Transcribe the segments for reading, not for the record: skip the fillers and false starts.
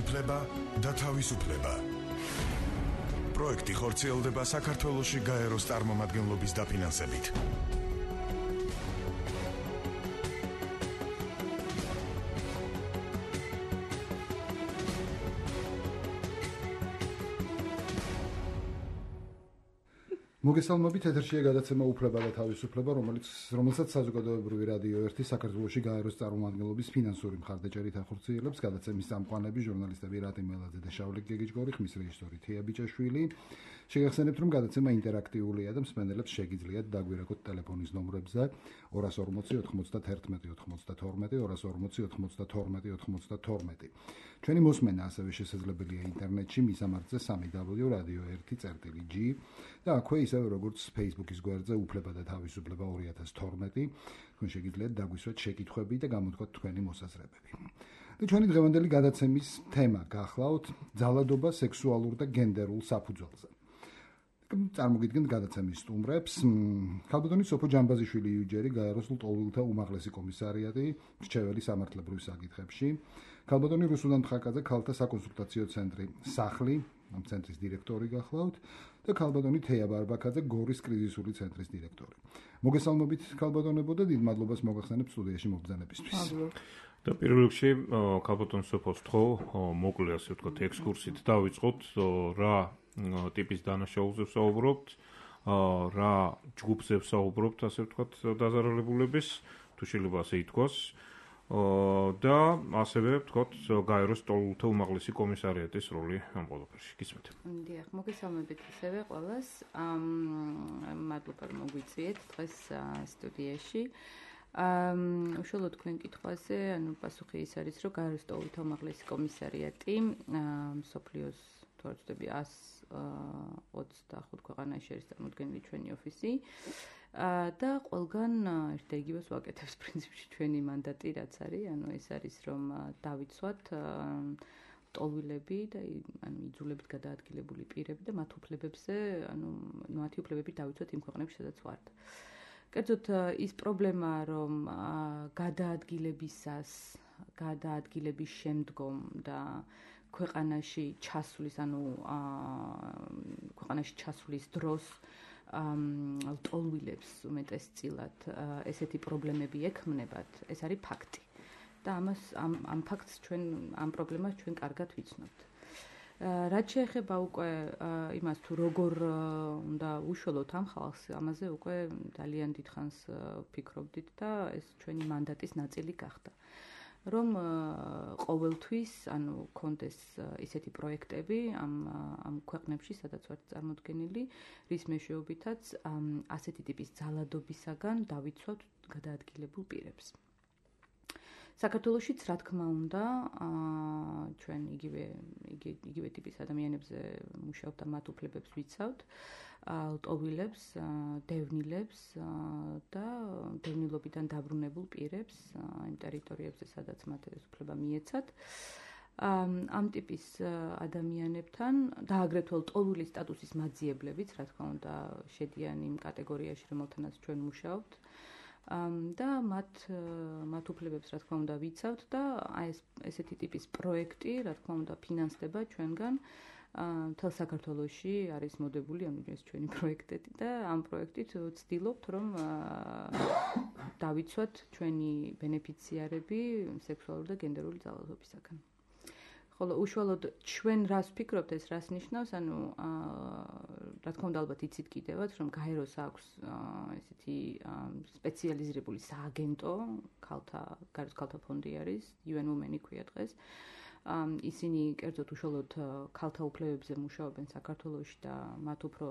უფლება და თავისუფლება. პროექტი ხორციელდება საქართველოში გაეროს წარმომადგენლობის დაფინანსებით. მოგესალმებით, ეთერშია გადაცემა უფლება და თავისუფლება, რომელსაც საზოგადოებრივი რადიო 1 საქართველოში გაეროს წარმომადგენლობის ფინანსური მხარდაჭერით ახორციელებს. გადაცემის წამყვანები ჟურნალისტები რატი მელაძე და შავლე გეგეჯგორი, ხმის რეჟისორი თია ბიჭაშვილი. შეგახსენებთ, რომ გადაცემა ინტერაქტიულია და მსმენელებს შეგიძლიათ დაგვირეკოთ ტელეფონის ნომრებზე 240 91 92, 240 92 92. ჩვენი მოსმენა ასევე შესაძლებელია ინტერნეტში მისამართზე www.radio1.g და აქვე ისევ როგორც Facebook-ის გვერდზე უფლება და თავისუფლება 2012, თქვენ შეგიძლიათ დაგვისვათ შეკითხვები და გამოთქვათ თქვენი მოსაზრებები. და ჩვენი დღევანდელი გადაცემის თემა გახლავთ ძალადობა სექსუალურ და გენდერულ საფუძველზე. წარმოგიდგენთ გადაცემის სტუმრებს. ქალბატონი სოფო ჯამბაზიშვილი იუჯერი, გაეროს ლტოლვილთა უმაღლესი კომისარიატი, მრჩეველი სამართლებრივ საკითხებში. ქალბატონი რუსუდან თხაკაძე, ქალთა საკონსულტაციო ცენტრი სახლი, ამ ცენტრის დირექტორი გახლავთ და ქალბატონი თეა ბარბაკაძე, გორის კრიზისული ცენტრის დირექტორი. მოგესალმებით ქალბატონებო და დიდ მადლობას მოგახსენებთ სტუდიაში მობრძანებისთვის. და პირველ რიგში ქალბატონ სოფოს თქო, მოკლე ასე ვთქვათ ექსკურსით დავიწყოთ, რა ტიპის დანაშაულზე ვსაუბრობთ, რა ჯგუფზე ვსაუბრობთ, ასე ვთქვათ, დაზარალებულების, თუ შეიძლება ასე ითქვას. და ასევე ვთქვათ, გაეროს ლტოლვილთა უმაღლესი კომისარიატის როლი ამ ყველაფერში. გისმენთ. დიახ, მოგესალმებით ისევე ყველას. მადლობა რომ მოგვიწიეთ დღეს სტუდიაში. უშუალოდ თქვენ კითხვაზე, პასუხი ის არის, რომ გაეროს ლტოლვილთა უმაღლესი კომისარიატი მსოფლიოს თორცდები 125 ქვეყანაში არის წარმოდგენილი ჩვენი ოფისი და ყველგან ერთ და იგივეს ვაკეთებს პრინციპში ჩვენი მანდატი, რაც არის, ეს არის რომ დავიცვათ ლტოლვილები და იძულებით გადაადგილებული პირები და მათ უფლებებზე, მათი უფლებები დავიცვათ იმ ქვეყნებში, სადაც ვართ. კერძოდ ის პრობლემა, რომ გადაადგილების შემდგომ და ქვეყანაში ჩასulis დროს ლტოლვილებს უმეტესწილად ესეთი პრობლემები ექმნებათ, ეს არის ფაქტი. და ამ ფაქტს ამ პრობლემას ჩვენ კარგად ვიცნობთ. რაც შეეხება უკვე იმას თუ როგორ უნდა უშუალოდ ამ ხალხს, ამაზე უკვე ძალიან დიდხანს ვფიქრობდით და ეს ჩვენი მანდატის ნაწილი გახდა. რომ ყოველთვის, კონდეს ისეთი პროექტები ამ ქვეყნებში, სადაც ვართ წარმოდგენილი, რის მეშვეობითაც ასეთი ტიპის ძალადობისაგან დავიცვათ გადაადგილებულ პირებს. საქართველოშიც, რა თქმა უნდა, ჩვენ იგივე ტიპის ადამიანებზე მუშაობთ და მათ უფლებებს ვიცავთ, ლტოლვილებს, დევნილებს და დევნილობიდან დაბრუნებულ პირებს იმ ტერიტორიებზე, სადაც მათ ეს უფლება მიეცათ. ამ ტიპის ადამიანებთან და აგრეთვე ლტოლვილის სტატუსის მაძიებლებიც, რა თქმა უნდა, შედიან იმ კატეგორიაში, რომელთანაც ჩვენ მუშაობთ. და მათ უფლებებს, რა თქმა უნდა, ვიცავთ და ესეთი ტიპის პროექტი, რა თქმა უნდა, ფინანსდება ჩვენგან. მთელ საქართველოში არის მოდებული ეს ჩვენი პროექტები და ამ პროექტით ვცდილობთ, რომ დავიცვათ ჩვენი ბენეფიციარები სექსუალური და გენდერული ძალადობისაგან. ხოლო უშუალოდ ჩვენ რას ვფიქრობთ, ეს რას ნიშნავს, რა თქმა უნდა, ალბათ იცით კიდევაც, რომ გაეროს აქვს ესეთი სპეციალიზირებული სააგენტო, გაეროს ქალთა ფონდი არის, UN Women ქვია დღეს. ისინი კერძოდ უშუალოდ ქალთა უფლებებზე მუშაობენ საქართველოში და მათ უფრო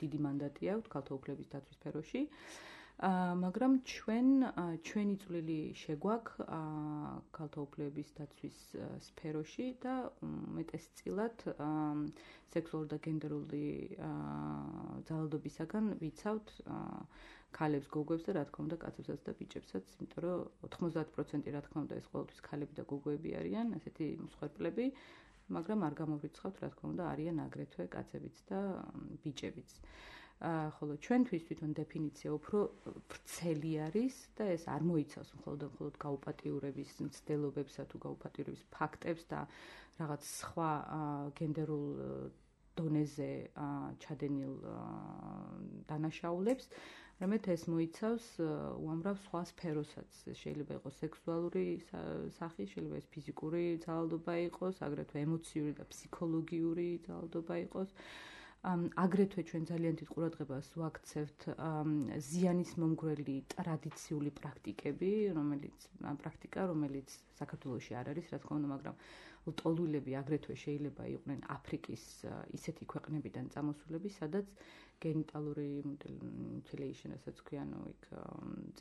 დიდი მანდატი აქვთ ქალთა უფლების დაცვის სფეროში. მაგრამ ჩვენი წვლილი შეგვაქვს ქალთა უფლების დაცვის სფეროში და მეტესწილად სექსუალური და გენდერული ძალადობისაგან ვიცავთ ქალებს, გოგოებს და რა თქმა უნდა კაცებსაც და ბიჭებსაც, იმიტომ რომ 90% რა თქმა უნდა ეს ყოველთვის ქალები და გოგოები არიან, ასეთი მსხვერპლები, მაგრამ არ გამოვრიცხავთ, რა თქმა უნდა, არიან აგრეთვე კაცებიც და ბიჭებიც. ხოლო ჩვენთვის თვითონ დეფინიცია უფრო ვრცელი არის და ეს არ მოიცავს მხოლოდ გაუპატიურების მცდელობებსა თუ გაუპატიურების ფაქტებს და რაღაც სხვა გენდერულ დონეზე ჩადენილ დანაშაულებს, რამეთ ეს მოიცავს უამრავ სხვა სფეროსაც. შეიძლება იყოს სექსუალური სახი, შეიძლება ეს ფიზიკური ძალადობა იყოს, აგრეთვე ემოციური და ფსიქოლოგიური ძალადობა იყოს. აგრეთვე ჩვენ ძალიან დიდ ყურადღებას ვაქცევთ ზიანის მომგვრელი ტრადიციული პრაქტიკები, რომელიც საქართველოში არ არის, რა თქმა უნდა, მაგრამ ლტოლვილები აგრეთვე შეიძლება იყვნენ აფრიკის ისეთი ქვეყნებიდან წამოსულები, სადაც გენიტალური mutilation, რასაც ქვიან, იქ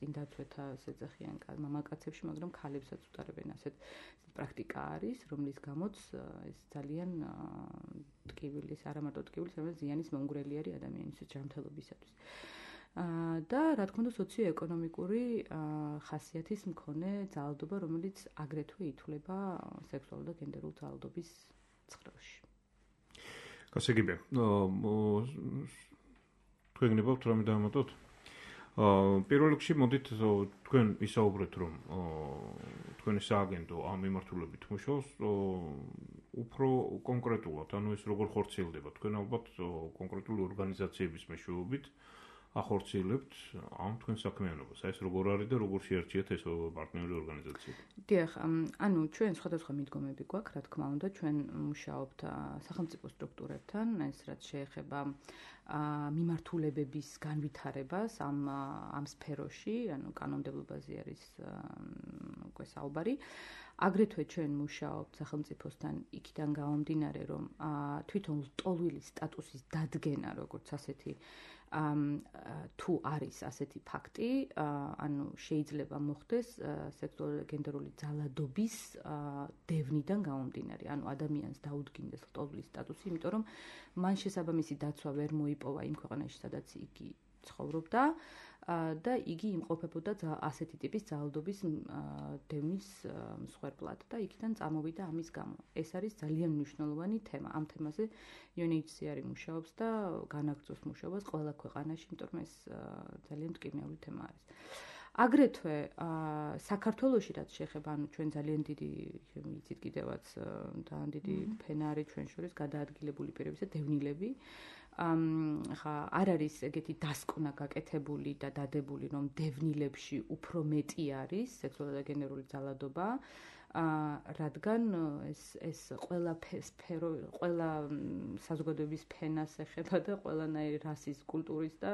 წინდაცვეთა ეძახიან მამაკაცებში, მაგრამ ქალებსაც უტარებენ ასეთ პრაქტიკა არის, რომლის გამოც ეს ძალიან ტკივილის, არა მარტო ტკივილის, არამედ ზიანის მომგვრელი არის ადამიანის ჯანმრთელობისათვის. და რა თქმა უნდა სოციო-ეკონომიკური ხასიათის მქონე ძალადობა, რომელიც აგრეთვე ითვლება სექსუალური და გენდერული ძალადობის ცხრილში. გასაგებია. თქვენ გნებავთ რამე დავამატოთ? პირველ რიგში მოდით თქვენ ვისაუბრეთ, რომ თქვენი სააგენტო ამ მიმართულებით მუშაობს უფრო კონკრეტულად, ანუ ეს როგორ ხორციელდება. თქვენ ალბათ კონკრეტული ორგანიზაციების მეშვეობით ახორციელებთ ამ თქვენ საქმიანობას. ეს როგორ არის და როგორ შეერჩიათ ეს პარტნიორი ორგანიზაციები? დიახ, ანუ ჩვენ სხვადასხვა მიდგომები გვაქვს, რა თქმა უნდა, ჩვენ მუშაობთ სახელმწიფო სტრუქტურებთან, ეს რაც შეეხება მიმართულებების განვითარებას ამ სფეროში, ანუ კანონმდებლობაზე არის უკვე საუბარი. აგრეთვე ჩვენ მუშაობთ სახელმწიფოსთან იქიდან გამომდინარე, რომ თვითონ ლტოლვილის სტატუსის დადგენა, როგორც ასეთი თუ არის ასეთი ფაქტი, ანუ შეიძლება მოხდეს სექსუალური გენდერული ძალადობის დევნიდან გამომდინარე, ანუ ადამიანს დაუდგინდეს ლტოლვილის სტატუსი, იმიტომ რომ მან შესაბამისი დაცვა ვერ მოიპოვა იმ ქვეყანაში, სადაც იგი ცხოვრობდა და იგი იმყოფებოდა ასეთი ტიპის ძალადობის დევნის მსხვერპლად და იქიდან წამოვიდა ამის გამო. ეს არის ძალიან მნიშვნელოვანი თემა. ამ თემაზე UNHCR მუშაობს და განაგრძობს მუშაობას ყველა ქვეყანაში, იმიტომ რომ ეს ძალიან მტკივნეული თემა არის. აგრეთვე საქართველოში რაც შეეხება, ანუ ჩვენ ძალიან დიდი ვიცით კიდევაც ძალიან დიდი ფენა არის ჩვენ შორის გადაადგილებული პირების და დევნილები. ხა არ არის ეგეთი დასკვნა გაკეთებული და დადებული, რომ დევნილებში უფრო მეტი არის სექსუალური და გენდერული ძალადობა, რადგან ეს ყველა საზოგადოების ფენას ეხება და ყველანაირი რასის, კულტურის და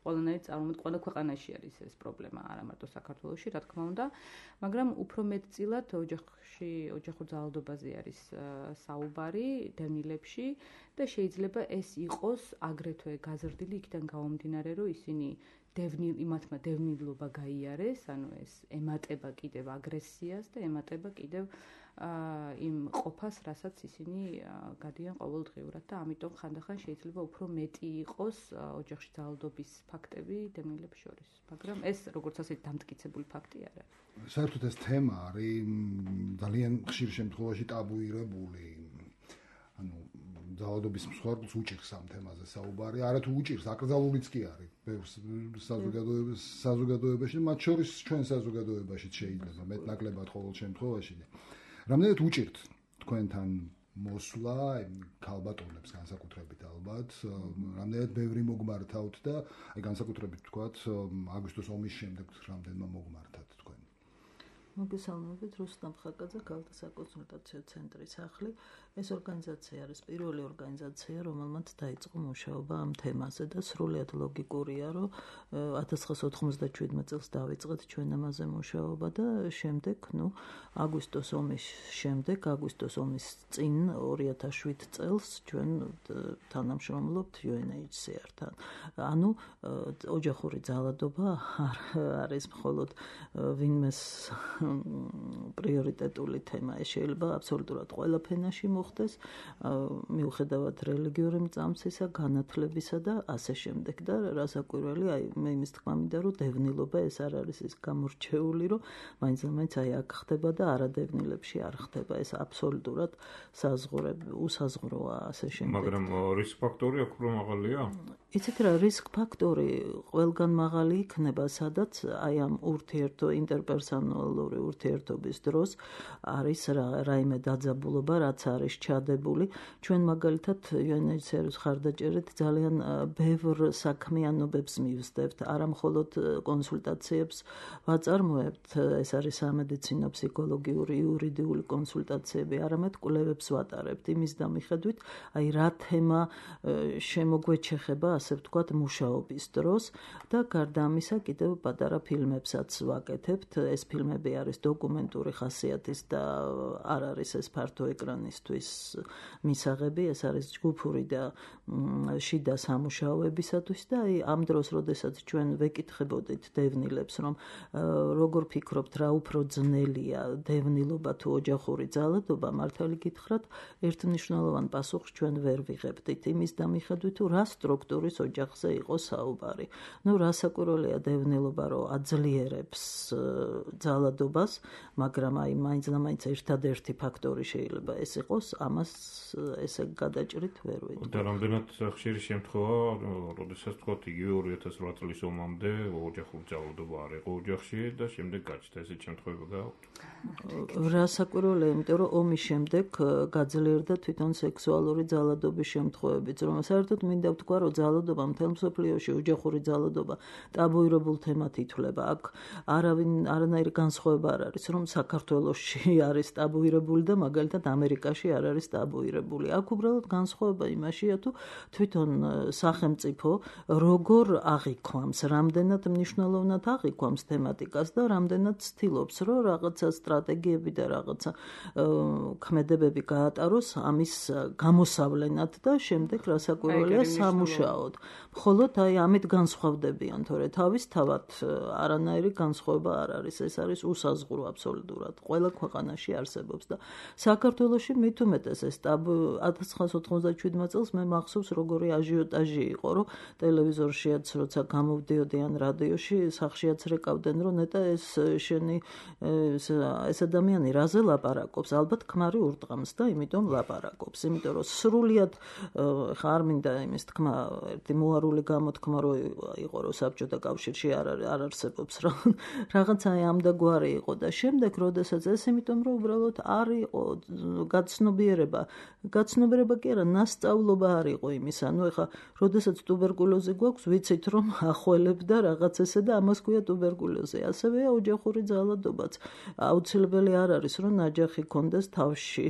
ყველანაირი წარმოდგენა ყველა ქვეყანაში არის ეს პრობლემა, არა მარტო საქართველოში, რა თქმა უნდა, მაგრამ უფრო მეტწილად ოჯახურ ძალადობაზე არის საუბარი დევნილებში და შეიძლება ეს იყოს აგრეთვე გაზრდილი იქიდან გამომდინარე, რომ ისინი იმათმა დევნილობა გაიარეს, ანუ ეს ემატება კიდევ აგრესიას და ემატება კიდევ იმ ყოფას, რასაც ისინი გადიან ყოველდღიურად და ამიტომ ხანდახან შეიძლება უფრო მეტი იყოს ოჯახში ძალადობის ფაქტები დევნილებს შორის, მაგრამ ეს როგორც ასეთი დამტკიცებული ფაქტი არ არის. საერთოდ ეს თემა არის ძალიან ხშირ შემთხვევაში ტაბუირებული. ანუ ძალადობის მსხვერპლს უჭირს ამ თემაზე საუბარი, არათუ უჭირს, აკრძალულიც კი არის ბევრ საზოგადოებაში, მათ შორის ჩვენ საზოგადოებაშიც შეიძლება მეტნაკლებად ყოველ შემთხვევაში. რამდენად უჭირთ თქვენთან მოსვლა ქალბატონებს განსაკუთრებით ალბათ, რამდენად ბევრი მოგმართავთ და განსაკუთრებით ვთქვათ აგვისტოს ომის შემდეგ რამდენმა მოგმართათ თქვენ? მოგესალმებით, რუსტამ ხაკაძე, ქალთა საკონსულტაციო ცენტრის სახლი. ეს ორგანიზაცია არის პირველი ორგანიზაცია, რომელმაც დაიწყო მუშაობა ამ თემაზე და სრულიად ლოგიკურია, რომ 1997 წელს დავიწყეთ ჩვენ ამაზე მუშაობა და შემდეგ, აგვისტოს ომის შემდეგ, აგვისტოს ომის წინ 2007 წელს ჩვენ თანამშრომლობთ UNHCR-თან. ანუ ოჯახური ძალადობა არ არის მხოლოდ ვინმეს პრიორიტეტული თემა. ეს შეიძლება აბსოლუტურად ყველა ფენაში მოხდეს, მიუხედავად რელიგიური მწამსისა, განათლებისა და ასე შემდეგ. და რასაკვირველი, მე იმის თქმა მინდა, რომ დევნილობა ეს არ არის ის გამორჩეული, რომ მაინც აქ ხდება და არადევნილებში არ ხდება. ეს აბსოლუტურად უსაზღვროა ასე შემდეგ. მაგრამ რისკ ფაქტორი აქ უფრო მაღალია? იცით რა რისკ ფაქტორი ყველგან მაღალი იქნება, სადაც აი ამ ინტერპერსონალური ურთიერთობის დროს არის რაიმე დაძაბულობა, რაც არის ჩადებული. ჩვენ მაგალითად UNHCR-ის ხარდაჭერით ძალიან ბევრ საქმიანობებს მივსდებთ, არა მხოლოდ კონსულტაციებს ვაწარმოებთ, ეს არის სამედიცინო, ფსიქოლოგიური, იურიდიული კონსულტაციები, არამედ კვლევებს ვატარებთ იმის დამიხედვით, აი რა თემა შემოგვეჩეხება, ასე ვთქვათ, მუშაობის დროს და გარდა ამისა კიდევ პატარა ფილმებსაც ვაკეთებთ. ეს ფილმები არის დოკუმენტური ხასიათის და არ არის ეს ფართო ეკრანისთვის მისაღები, ეს არის ჯგუფური და შიდა სამუშაოებისათვის და აი ამ დროს, როდესაც ჩვენ ვეკითხებოდით დევნილებს, რომ როგორ ფიქრობთ, რა უფრო ძნელია, დევნილობა თუ ოჯახური ძალადობა, მართალი გითხრათ, ერთმნიშვნელოვან პასუხს ჩვენ ვერ ვიღებდით იმის დამიხედვით, თუ რა სტრუქტურის ოჯახზე იყო საუბარი. რასაკვირველია დევნილობა, რომ აძლიერებს ძალადობას, მაგრამ აი მაინც და მაინც ერთადერთი ფაქტორი შეიძლება ეს იყოს, ამას ესე გადაჭრით ვერ ვეძებ. და რამდენად ხშირი შემთხვევა, როდესაც თქვათ იგივე 2008 წლის ომამდე ოჯახური ძალადობა არ იყო ოჯახში და შემდეგ გაჩნდა ესეთ შემთხვევები გააქვთ? რასაკვირველია, იმიტომ რომ ომის შემდეგ გაძლიერდა თვითონ სექსუალური ძალადობის შემთხვევებიც, რომ საერთოდ მინდა ვთქვა, რომ ძალადობა მთელ მსოფლიოში, ოჯახური ძალადობა ტაბუირებულ თემად ითვლება. აქ არანაირი განსხვავება არ არის, რომ საქართველოში არის ტაბუირებული და მაგალითად ამერიკაში არ არის ტაბუირებული. აქ უბრალოდ განსხვავება იმაშია, თუ თვითონ სახელმწიფო როგორ აღიქვამს, რამდენად მნიშვნელოვნად აღიქვამს თემატიკას და რამდენად ცდილობს, რომ რაღაცა სტრატეგიები და რაღაცა ქმედებები გაატაროს ამის გამოსავლენად და შემდეგ რასაკვირველია სამუშაოდ. მხოლოდ აი ამით განსხვავდებიან, თორე თავისთავად არანაირი განსხვავება არ არის. ეს არის უსაზღურო აბსოლუტურად. ყველა ქვეყანაში არსებობს და საქართველოში მით უმეტეს ეს 1997 წელს მე მახსოვს როგორი აჟიოტაჟი იყო, რომ ტელევიზორშიაც როცა გამოვდიოდიან რადიოში, სახშიაც რეკავდნენ, რომ ნეტა ეს ადამიანი რაზე ლაპარაკობს, ალბათ ქმარი ურტყამს და იმიტომ ლაპარაკობს, იმიტომ რომ სრულიად ხა არ მინდა იმის თქმა, ერთი მოარული გამოთქმა რო იყო, რომ საბჭოთა კავშირში არ არსებობს რაღაცა ამ და გვარი იყო და შემდეგ როდესაც ეს იმიტომ რომ უბრალოდ არ იყო გაცნობიერება კი არა, ნასწავლობა არ იყო იმის, ანუ ეხა როდესაც ტუბერკულოზი გვაქვს, ვიცით რომ ახველებ და რაღაც ესე და ამას ქვია ტუბერკულოზი. ასევეა ოჯახური ძალადობაც. აუცილებელი არ არის რომ ნაჯახი კონდეს თავში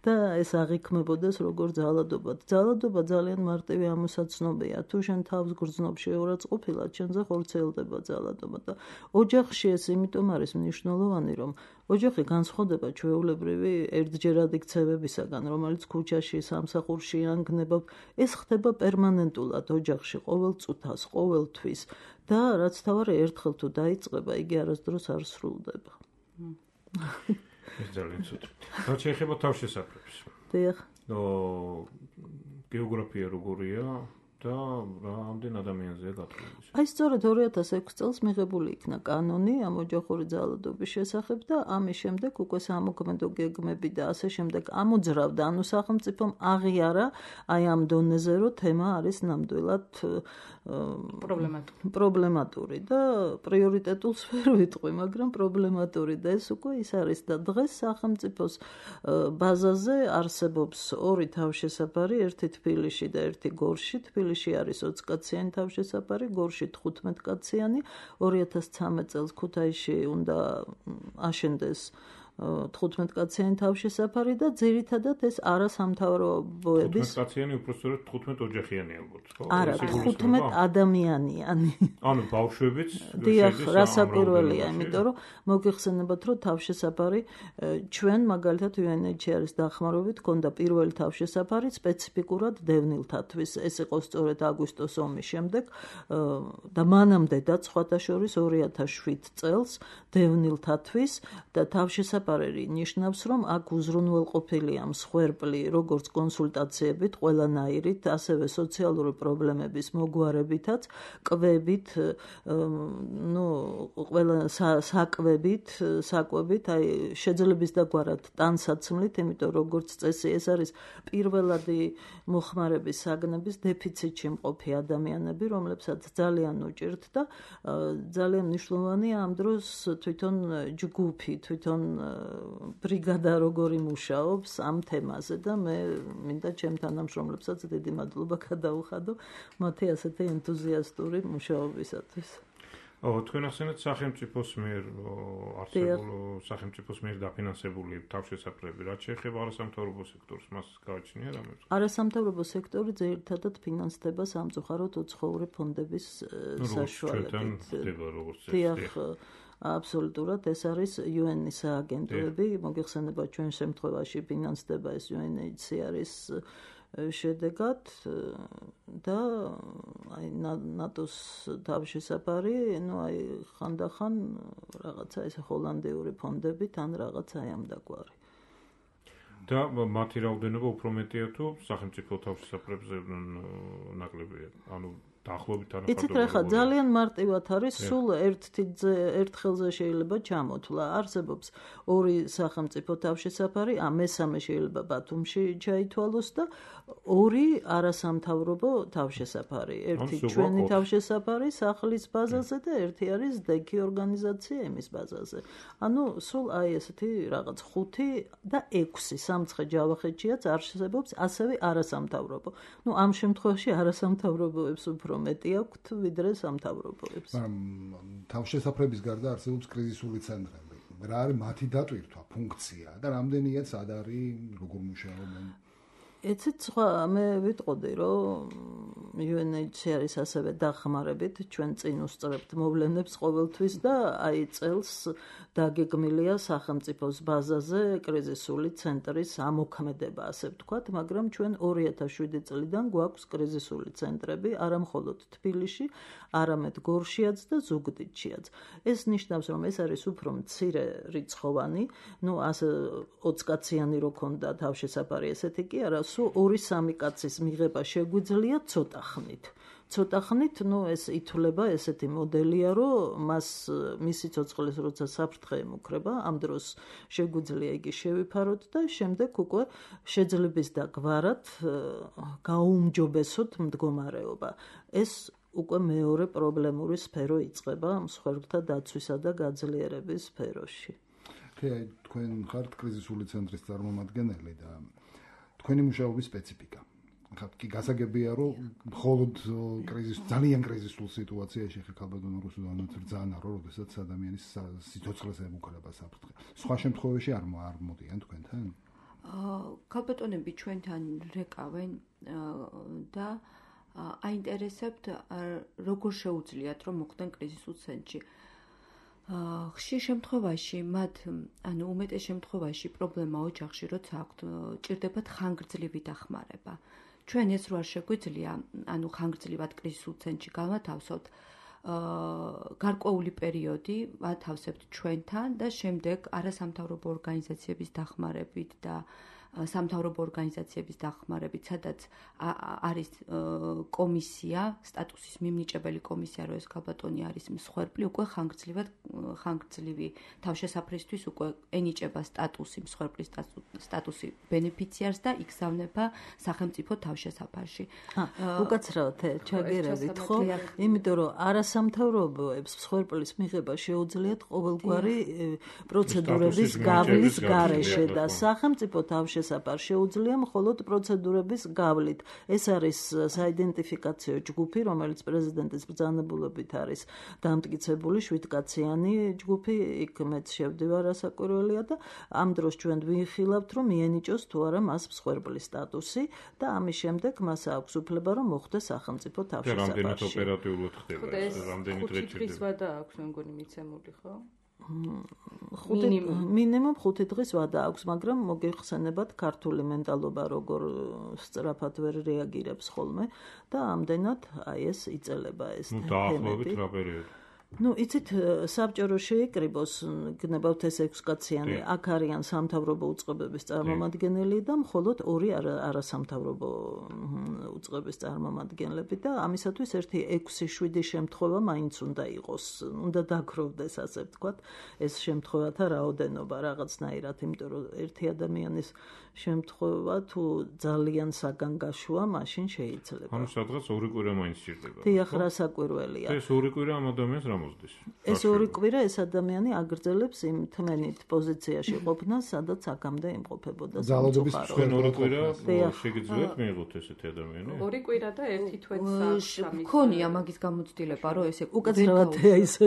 და ეს აღიქმებოდეს როგორ ძალადობა. ძალადობა ძალიან მარტივი ამოსაცნობია. თუ შენ თავს გრძნობ შეურაც ყოფილად, შენზე ხორციელდება ძალადობა და ოჯახში ეს იმიტომ არის მნიშვნელოვანი, რომ ოჯახი განსხვავდება ჩვეულებრივი ერთჯერადი ქცევებისაგან, რომელიც ქუჩაში, სამსახურში ანგნებობ. ეს ხდება პერმანენტულად ოჯახში, ყოველ წუთას, ყოველ თვის და რაც თავარი ერთხელ თუ დაიწყება, იგი არასდროს არ სრულდება. ეს ძალიან ცუდი. რაც შეეხება თავშესაფრებს. დიახ. გეოგრაფია როგორია? და რამდენ ადამიანზეა გათვლილი? აი სწორედ 2006 წელს მიღებული იქნა კანონი ამ ოჯახური ძალადობის შესახებ და ამის შემდეგ უკვე სამოქმედო გეგმები და ასე შემდეგ ამოძრავდა, ანუ სახელმწიფომ აღიარა აი ამ დონეზე, რომ თემა არის ნამდვილად პრობლემატური და პრიორიტეტულს ვერ ვიტყვი, მაგრამ პრობლემატური და ეს უკვე ის არის და დღეს სახელმწიფოს ბაზაზე არსებობს ორი თავშესაფარი, ერთი თბილისში და ერთი გორში. თბილისში არის 20 კაციანი თავშესაფარი, გორში 15 კაციანი. 2013 წელს ქუთაისში უნდა აშენდეს 15 კაციანი თავშესაფარი და ძირითადად ეს არასამთავრობოების 15 კაციანი უпростоრად 15 ოჯახიანი ალბათ, ხო? არა, 15 ადამიანიანი. ანუ ბავშვებიც დიახ, რასაკვირველია, იმიტომ რომ მოგიხსენებათ, რომ თავშესაფარი ჩვენ მაგალითად UNHCR-ის დახმარებით ქონდა პირველი თავშესაფარი სპეციფიკურად დევნილთათვის. ეს იყო სწორედ აგვისტოს ომის შემდეგ და მანამდე და სხვათა შორის 2007 წელს დევნილთათვის და თავშესაფარი თავშესაფარი ნიშნავს, რომ აქ უზრუნველყოფილია მსხვერპლი როგორც კონსულტაციებით, ყველანაირით, ასევე სოციალური პრობლემების მოგვარებითაც, კვებით, ყველა საკვებით, აი შეძლების დაგვარად ტანსაცმლით, იმიტომ როგორც წესი ეს არის პირველადი მოხმარების საგნების დეფიციტში მყოფი ადამიანები, რომლებსაც ძალიან უჭირთ და ძალიან მნიშვნელოვანია ამ დროს თვითონ ჯგუფი, თვითონ ბრიგადა როგორი მუშაობს ამ თემაზე და მე მინდა ჩემ თანამშრომლებსაც დიდი მადლობა გადავუხადო მათი ასეთი ენთუზიასტური მუშაობისათვის. თქვენ ახსენეთ სახელმწიფოს მიერ სახელმწიფოს მიერ დაფინანსებული თავშესაფრები, რაც შეეხება არასამთავრობო სექტორს, მას გააჩნია რამე? არასამთავრობო სექტორი ძირითადად ფინანსდება სამწუხაროდ უცხოური ფონდების საშუალებით. აბსოლუტურად ეს არის UN-ის აგენტოები, მოგეხსენება ჩვენ შემთხვევაში ფინანსდება ეს UNHCR-ის შედეგად და აი ნატოს თავშესაფარი, ხანდახან რაღაცა ეს ჰოლანდიური ფონდებით ან რაღაცა ამ დაგვარი. და მათი რაოდენობა უფრო მეტია თუ სახელმწიფო თავშესაფრებზე ნაკლებია? ანუ დაახლოებით იცით რა ხა ძალიან მარტივად არის სულ ერთხელზე შეიძლება ჩამოთვლა არსებობს ორი სახელმწიფო თავშესაფარი მესამე შეიძლება ბათუმში ჩაითვალოს და ორი არასამთავრობო თავშესაფარი ერთი ჩვენი თავშესაფარი სახლის ბაზაზე და ერთი არის დექი ორგანიზაცია იმის ბაზაზე ანუ სულ აი ესეთი რაღაც 5 და 6 სამცხე ჯავახეთშიაც არსებობს ასევე არასამთავრობო ამ შემთხვევაში არასამთავრობოებს უფრო მეტი აქვთ ვიდრე სამთავრობოებს. თავშესაფრების გარდა არსებობს კრიზისული ცენტრები. რა არის მათი დატვირთვა, ფუნქცია და რამდენია სად არის, როგორ მუშაობენ? ეცეთ სხვა მე ვიტყოდი რომ UNHCR-ის ასევე დახმარებით ჩვენ წინ უსწრებთ მოვლენებს ყოველთვის და აი წელს დაგეგმილია სახელმწიფოს ბაზაზე კრიზისული ცენტრის ამოქმედება ასე ვთქვათ, მაგრამ ჩვენ 2007 წლიდან გვაქვს კრიზისული ცენტრები არა მხოლოდ თბილისში, არამედ გორშიაც და ზუგდიდშიაც. ეს ნიშნავს რომ ეს არის უფრო მცირე რიცხოვანი, ასე 20 კაციანი რო ქონდა თავშესაფარი ესეთი კი არა, სულ 2-3 კაცის მიღება შეგვიძლია ცოტა ხნით. ცოტა ხნით, ეს ითვლება ესეთი მოდელია, რომ მისი ცოცხლის როცა საფრთხე ემუქრება, ამ დროს შეგვიძლია იგი შევიფაროთ და შემდეგ უკვე შეძლების დაგვარად გაუმჯობესოთ მდგომარეობა. ეს უკვე მეორე პრობლემური სფერო იწყება მსხვერპლთა დაცვისა და გაძლიერების სფეროში. თქვენ ხართ კრიზისული ცენტრის წარმომადგენელი და თქვენი მუშაობის სპეციფიკა. კი გასაგებია რომ მხოლოდ ძალიან კრიზისულ სიტუაციაში ხალბატონო რუსუდანაც რძანა რომ შესაძ ადამიანის სიცოცხლეს ემუქრება საფრთხე. სხვა შემთხვევაში არ მოდიან თქვენთან? ხალბატონები ჩვენთან რეკავენ და აინტერესებთ როგორ შეუძლიათ რომ მოხდნენ კრიზისულ ცენტრში. ხშირ შემთხვევაში მათ უმეტეს შემთხვევაში პრობლემა ოჯახში როცა აქვთ ჭირდებათ ხანგრძლივი დახმარება. ჩვენ ეს რო არ შეგვიძლია ხანგრძლივად კრიზისულ ცენტრში გავათავსოთ გარკვეული პერიოდი ვათავსებთ ჩვენთან და შემდეგ არასამთავრობო ორგანიზაციების დახმარებით და სამთავრობო ორგანიზაციების დახმარებით, სადაც არის კომისია, სტატუსის მიმნიჭებელი კომისია, რომ ეს ხალბატონი არის მსხვერპლი, უკვე ხანგრძლივი თავშესაფრისთვის უკვე ენიჭება სტატუსი, მსხვერპლის სტატუსი ბენეფიციარს და იგზავნება სახელმწიფო თავშესაფარში. უკაცრავად ჩაგერებით, ხო? იმიტომ რომ არასამთავრობოებს მსხვერპლის მიღება შეუძლიათ ყოველგვარი პროცედურების გავლის გარეშე და სახელმწიფო თავშესაფარში შეუძლია მხოლოდ პროცედურების გავლით. ეს არის საიდენტიფიკაციო ჯგუფი, რომელიც პრეზიდენტის ბრძანებულობით არის დამტკიცებული 7-კაციანი ჯგუფი, იქ მეც შევდივარ ასაკვირველია და ამ დროს ჩვენ ვიხილავთ, რომ მიენიჭოს თუ არა მას მსხვერპლის სტატუსი და ამის შემდეგ მას აქვს უფლება, რომ მოხვდეს სახელმწიფო თავშესაფარში. რამდენად ოპერატიულად ხდება ეს? რამდენი დღე ჭირდება? 5 დღის ვადა აქვს, მე მგონი მიცემული, ხო? მინიმუმ 5 დღის ვადა აქვს, მაგრამ მოგეხსენებათ ქართული მენტალობა როგორ სწრაფად ვერ რეაგირებს ხოლმე და ამდენად აი ეს იწელება ეს თემები. დაახლოებით რა პერიოდი? Ну, იცით, საბჭორო შეიკრიბოს, გნებავთ ეს 6 კაციანი, აქ არიან სამთავრობო უწყებების წარმომადგენელი და მხოლოდ 2 არასამთავრობო უწყების წარმომადგენლები და ამისათვის ერთი 6-7 შემთხვევა მაინც უნდა იყოს, უნდა დაგროვდეს, ასე ვთქვათ, ეს შემთხვევათა რაოდენობა რაღაცნაირად, იმიტომ რომ ერთი ადამიანის შემთხვევა თუ ძალიან საგანგაშოა, მაშინ შეიძლება. ანუ სადღაც 2 კვირა მაინც სჭირდება. დიახ, რასაკვირველია. ეს 2 კვირა ამ ადამიანს რა მოსდის? ეს 2 კვირა ეს ადამიანი აგრძელებს იმ თმენით პოზიციაში ყოფნას, სადაც აქამდე იმყოფებოდა. ძალადობის ჩვენ 2 კვირა შეგიძლიათ მიიღოთ ესეთი ადამიანი? 2 კვირა და 1 თვეც მქონია მაგის გამოცდილება, რომ ესე უკაცრავად ისე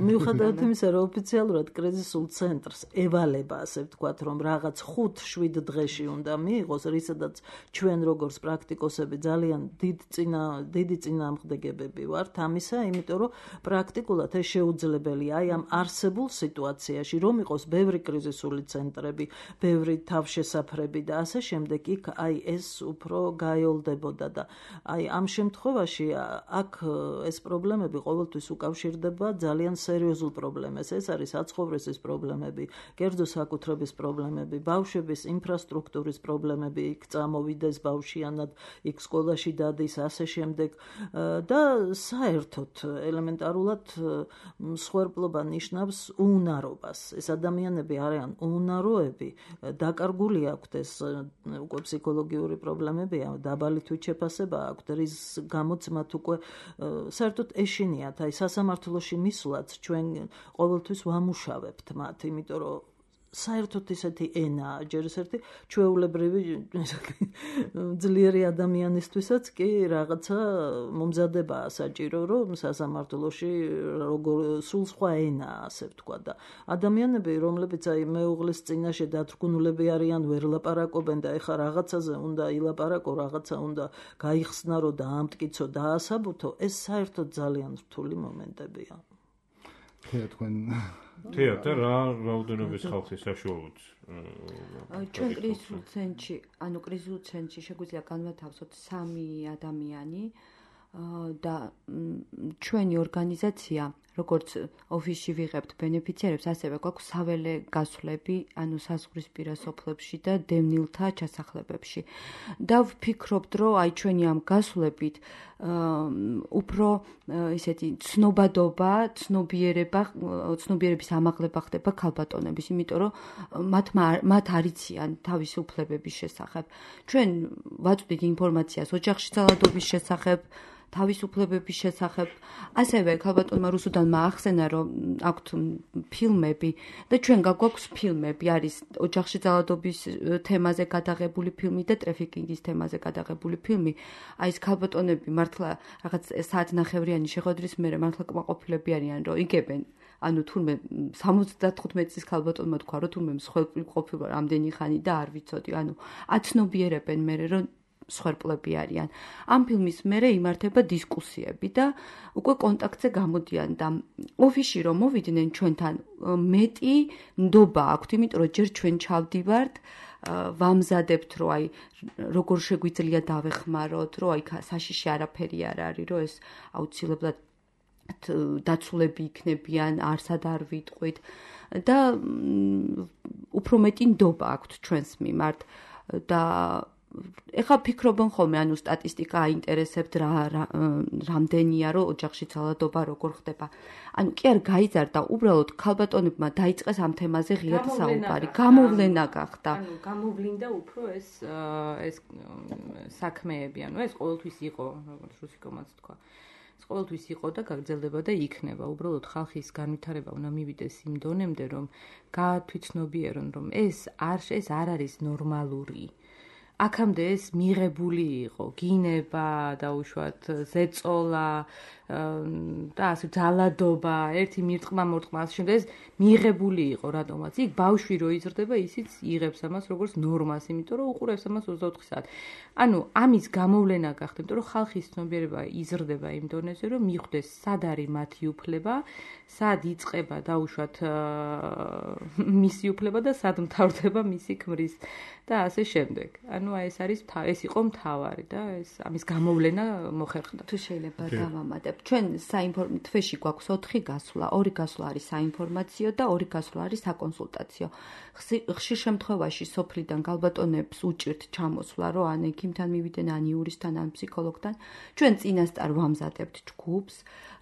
მიუხედავად იმისა, რომ ოფიციალურად კრიზისულ ცენტრს ევალება, ასე ვთქვათ, რომ რაღაც 5-7 დღეში უნდა მიიღოს, რისადაც ჩვენ როგორც პრაქტიკოსები ძალიან დიდი წინააღმდეგებები ვართ ამისა, იმიტომ რომ პრაქტიკულად ეს შეუძლებელია აი ამ არსებულ სიტუაციაში, რომ იყოს ბევრი კრიზისული ცენტრები, ბევრი თავშესაფრები და ასე შემდეგ, იქ აი ეს უფრო გაიოლდებოდა და აი ამ შემთხვევაში აქ ეს პრობლემები ყოველთვის უკავშირდება ძალიან სერიოზულ პრობლემას. ეს არის საცხოვრისის პრობლემები, კერძო საკუთრების პრობლემები, ბავშვების ინფრასტრუქტურის პრობლემები, იქ წამოვიდეს ბავშვიანად, იქ სკოლაში დადის, ასე შემდეგ და საერთოდ ელემენტარულად მსხვერპლობა ნიშნავს უნარობას. ეს ადამიანები არიან უნაროები, დაკარგული აქვთ ეს უკვე ფსიქოლოგიური პრობლემებია, დაბალი თვითშეფასება აქვთ, რის გამოც მათ უკვე საერთოდ ეშინიათ, აი სასამართლოში მისვლაც ჩვენ ყოველთვის ვამუშავებთ მათ, იმიტომ რომ საერთოდ ისეთი ენაა, ჯერ ერთი ჩვეულებრივი ძლიერი ადამიანისთვისაც კი რაღაცა მომზადებაა საჭირო, რომ სასამართლოში როგორ სულ სხვა ენაა, ასე ვთქვა და ადამიანები, რომლებიც აი მეუღლის წინაშე დათრგუნულები არიან, ვერ ლაპარაკობენ და ეხა რაღაცაზე უნდა ილაპარაკო, რაღაცა უნდა გაიხსნარო და ამტკიცო და ასაბუთო, ეს საერთოდ ძალიან რთული მომენტებია. თქვენ თეატრ რა რაოდენობის ხალხი საშუალოდ ჩვენ კრიზისულ ცენტრში, ანუ კრიზისულ ცენტრში შეგვიძლია განვათავსოთ 3 ადამიანი და ჩვენი ორგანიზაცია, როგორც ოფისში ვიღებთ ბენეფიციარებს, ასევე გვაქვს საველე გასვლები, ანუ საზღვრისპირა სოფლებში და დევნილთა ჩასახლებებში. და ვფიქრობთ, რომ აი ჩვენი ამ გასვლებით უფრო ისეთი ცნობადობა, ცნობიერების ამაღლება ხდება ქალბატონების, იმიტომ რომ მათ არიციან თავისი უფლებების შესახებ. ჩვენ ვაწვდით ინფორმაციას ოჯახში ძალადობის შესახებ, თავისუფლებების შესახებ. ასევე ქალბატონმა რუსუდანმა ახსენა, რომ აქვთ ფილმები და ჩვენ გაგვაქვს ფილმები, არის ოჯახში ძალადობის თემაზე გადაღებული ფილმი და ტრაფიკინგის თემაზე გადაღებული ფილმი. აი ეს ქალბატონები მართლა რაღაც საათნახევრიანი შეხვედრის მერე მართლა კმაყოფილები არიან, რომ იგებენ. ანუ თურმე 75 წლის ქალბატონმა თქვა, რომ თურმე მსხვერპლი ყოფილა რამდენი ხანი და არ ვიცოდი. ანუ აცნობიერებენ მერე, რომ მსხვერპლები არიან. ამ ფილმის მერე იმართება დისკუსიები და უკვე კონტაქტზე გამოდიან და ოფისში რომ მოვიდნენ ჩვენთან მეტი ნდობა აქვთ, იმიტომ რომ ჯერ ჩვენ ჩავდივართ, ვამზადებთ, რომ აი როგორ შეგვიძლია დავეხმაროთ, რომ აი საშიში არაფერი არ არის, რომ ეს აუცილებლად დაცულები იქნებიან, არსად არ ვიტყვით და უფრო მეტი ნდობა აქვთ ჩვენს მიმართ და ეხლა ფიქრობენ ხოლმე, ანუ სტატისტიკა აინტერესებთ რამდენია, რომ ოჯახში ძალადობა როგორ ხდება. ანუ კი არ გაიზარდა, უბრალოდ ქალბატონებმა დაიწყეს ამ თემაზე ღიად საუბარი. გამოვლენა გახდა. ანუ გამოვლინდა უფრო ეს საქმეები, ანუ ეს ყოველთვის იყო, როგორც რუსიკომაც თქვა. ეს ყოველთვის იყო და გაგრძელდება და იქნება. უბრალოდ ხალხის განვითარება უნდა მივიდეს იმ დონემდე, რომ გაათვითცნობიერონ, რომ ეს არ არის ნორმალური. აქამდე ეს მიღებული იყო, გინება, დაუშვათ, ზეწოლა და ასე ძალადობა, ერთი მირტყმა მორტყმა ასე შემდეგ ეს მიღებული იყო რატომაც. იქ ბავშვი რო იზრდება, ისიც იღებს ამას როგორც ნორმას, იმიტომ რომ უყურებს ამას 24 საათი. ანუ ამის გამოვლენა გახდა, იმიტომ რომ ხალხის ცნობიერება იზრდება იმ დონეზე, რომ მიხვდეს სად არის მათი უფლება, სად იწყება დაუშვათ მისი უფლება და სად მთავრდება მისი ქმრის და ასე შემდეგ. ანუ ეს იყო მთავარი და ამის გამოვლენა მოხერხდა. თუ შეიძლება დავამატებ. ვნახეთ, ჩვენ თვეში გვაქვს 4 გასვლა, 2 გასვლა არის საინფორმაციო და 2 გასვლა არის საკონსულტაციო. ხშირ შემთხვევაში სოფლიდან გალბატონებს უჭირთ ჩამოსვლა, რომ ან ექიმთან მივიდნენ, ან იურისტთან, ან ფსიქოლოგთან. ჩვენ წინასწარ ვამზადებთ ჯგუფს,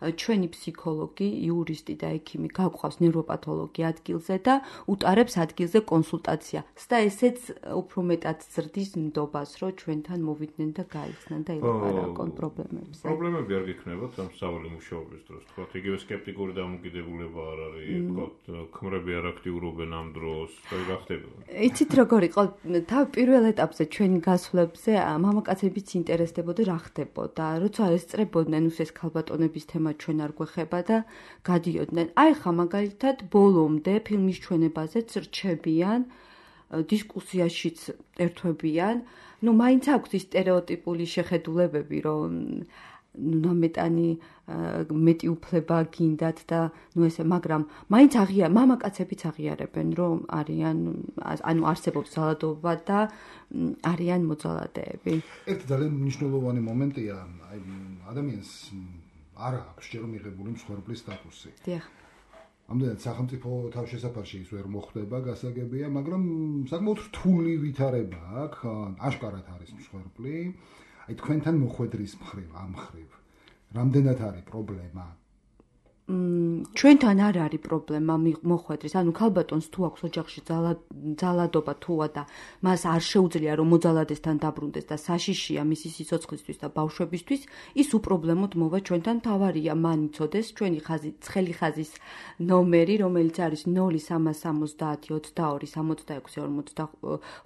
ჩვენი ფსიქოლოგი, იურისტი და ექიმი გაგვყავს ნევროპათოლოგი ადგილზე და უტარებს ადგილზე კონსულტაცია. და ესეც უფრო მეტად ზრდის ნდობას, რომ ჩვენთან მოვიდნენ და გაიხსნან და ილაპარაკონ პრობლემებზე. პრობლემები არ გიქნებათ ამ სწავლი მუშაობის დროს, თქვათ, იგივე სკეპტიკური დამოკიდებულება არ არის, თქვათ, ქმრები არ აქტიურობენ ამ დროს, რა ხდება? იცით როგორ იყო, პირველ ეტაპზე ჩვენი გასვლებზე მამაკაცებიც ინტერესდებოდა რა ხდებოდა, როცა ესწრებოდნენ უსეს ქალბატონების თემა ჩვენ არ გვეხება და გადიოდნენ. აი ხა მაგალითად ბოლომდე ფილმის ჩვენებაზეც რჩებიან, დისკუსიაშიც ერთვებიან, მაინც აქვს ის სტერეოტიპული შეხედულებები, რომ ნამეტანი მეტი უფლება გინდათ და ესე, მაგრამ მაინც მამაკაცებიც აღიარებენ, რომ არიან, არსებობს ძალადობა და არიან მოძალადეები. ერთი ძალიან მნიშვნელოვანი მომენტია, ადამიანს არ აქვს ჯერ მიღებული მსხვერპლის სტატუსი. დიახ. ამდენად სახელმწიფო თავშესაფარში ის ვერ მოხდება, გასაგებია, მაგრამ საკმაოდ რთული ვითარება აქვს, აშკარად არის მსხვერპლი. აი თქვენთან მოხვედრის მხრივ, ამ მხრივ, რამდენად არის პრობლემა? ჩვენთან არ არის პრობლემა მოხვედრის, ქალბატონს თუ აქვს ოჯახში ძალადობა თუა და მას არ შეუძლია რომ მოძალადესთან დაბრუნდეს და საშიშია მისი სიცოცხლისთვის და ბავშვებისთვის, ის უპრობლემოდ მოვა ჩვენთან. თავარია მან იცოდეს ჩვენი ცხელი ხაზის ნომერი, რომელიც არის 0370 22 66